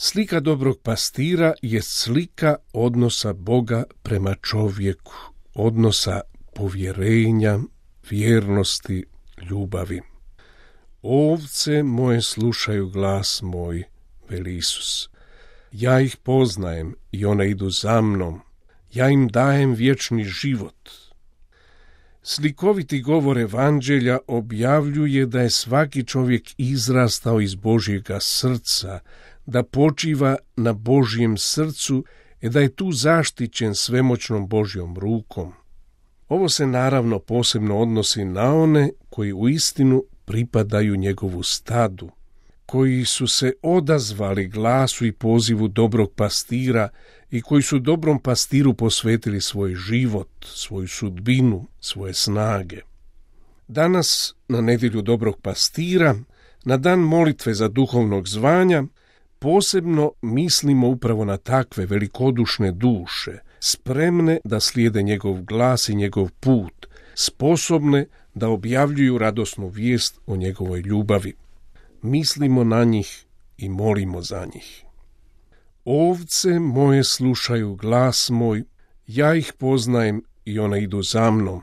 Slika dobrog pastira je slika odnosa Boga prema čovjeku, odnosa povjerenja, vjernosti, ljubavi. Ovce moje slušaju glas moj, veli Isus. Ja ih poznajem i one idu za mnom. Ja im dajem vječni život. Slikoviti govor evanđelja objavljuje da je svaki čovjek izrastao iz Božjega srca, da počiva na Božjem srcu i da je tu zaštićen svemoćnom Božjom rukom. Ovo se naravno posebno odnosi na one koji uistinu pripadaju njegovu stadu, koji su se odazvali glasu i pozivu dobrog pastira i koji su dobrom pastiru posvetili svoj život, svoju sudbinu, svoje snage. Danas, na nedjelju dobrog pastira, na dan molitve za duhovnog zvanja, posebno mislimo upravo na takve velikodušne duše, spremne da slijede njegov glas i njegov put, sposobne da objavljuju radosnu vijest o njegovoj ljubavi. Mislimo na njih i molimo za njih. Ovce moje slušaju glas moj, ja ih poznajem i one idu za mnom.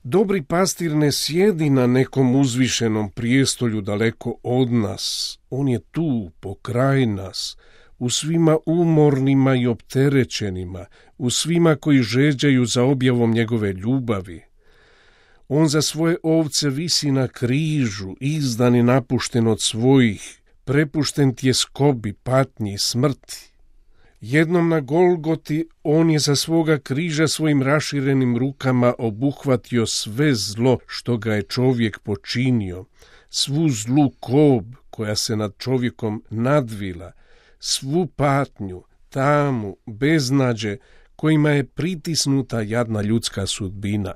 Dobri pastir ne sjedi na nekom uzvišenom prijestolju daleko od nas. On je tu, pokraj nas, u svima umornima i opterećenima, u svima koji žeđaju za objavom njegove ljubavi. On za svoje ovce visi na križu, izdan i napušten od svojih, prepušten tjeskobi, patnji i smrti. Jednom na Golgoti on je sa svoga križa svojim raširenim rukama obuhvatio sve zlo što ga je čovjek počinio, svu zlu kob koja se nad čovjekom nadvila, svu patnju, tamu, beznađe kojima je pritisnuta jadna ljudska sudbina.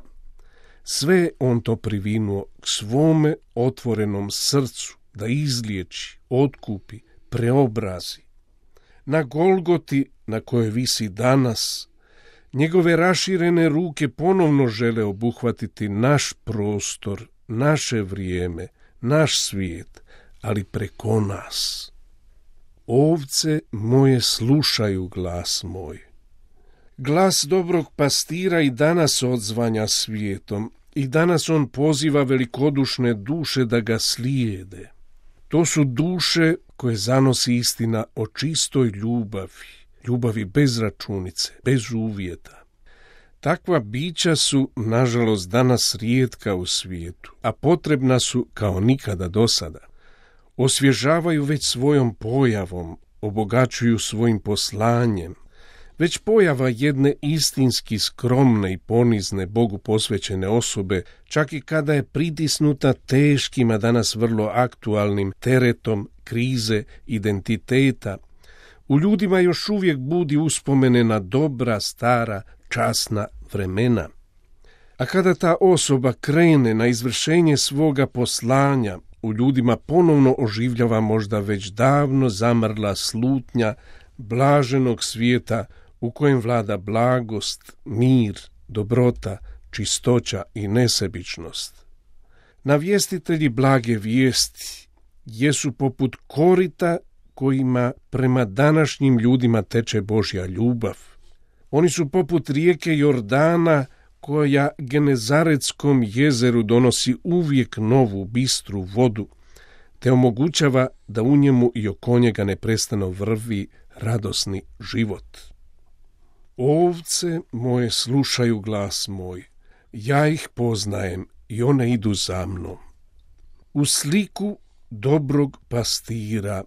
Sve on to privinuo k svome otvorenom srcu da izliječi, otkupi, preobrazi. Na Golgoti, na kojoj visi danas, njegove raširene ruke ponovno žele obuhvatiti naš prostor, naše vrijeme, naš svijet, ali preko nas. Ovce moje slušaju glas moj. Glas dobrog pastira i danas odzvanja svijetom, i danas on poziva velikodušne duše da ga slijede. To su duše koje zanosi istina o čistoj ljubavi, ljubavi bez računice, bez uvjeta. Takva bića su, nažalost, danas rijetka u svijetu, a potrebna su kao nikada do sada. Osvježavaju već svojom pojavom, obogaćuju svojim poslanjem. Već pojava jedne istinski skromne i ponizne Bogu posvećene osobe, čak i kada je pritisnuta teškim, a danas vrlo aktualnim teretom krize identiteta, u ljudima još uvijek budi uspomene na dobra, stara, časna vremena. A kada ta osoba krene na izvršenje svoga poslanja, u ljudima ponovno oživljava možda već davno zamrla slutnja blaženog svijeta u kojem vlada blagost, mir, dobrota, čistoća i nesebičnost. Navjestitelji blage vijesti jesu poput korita kojima prema današnjim ljudima teče Božja ljubav. Oni su poput rijeke Jordana koja Genezaretskom jezeru donosi uvijek novu, bistru vodu, te omogućava da u njemu i oko njega neprestano vrvi radosni život. Ovce moje slušaju glas moj, ja ih poznajem i one idu za mnom. U sliku dobrog pastira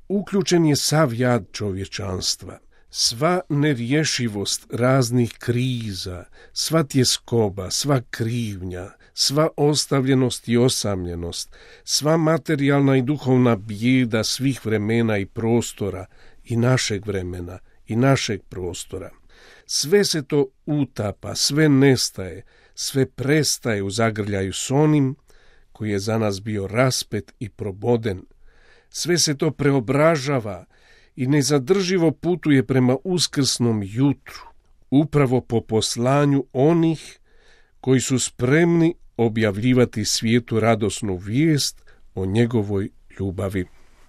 uključen je sav jad čovječanstva, sva nerješivost raznih kriza, sva tjeskoba, sva krivnja, sva ostavljenost i osamljenost, sva materijalna i duhovna bijeda svih vremena i prostora, i našeg vremena i našeg prostora. Sve se to utapa, sve nestaje, sve prestaje u zagrljaju s onim koji je za nas bio raspet i proboden. Sve se to preobražava i nezadrživo putuje prema uskrsnom jutru, upravo po poslanju onih koji su spremni objavljivati svijetu radosnu vijest o njegovoj ljubavi.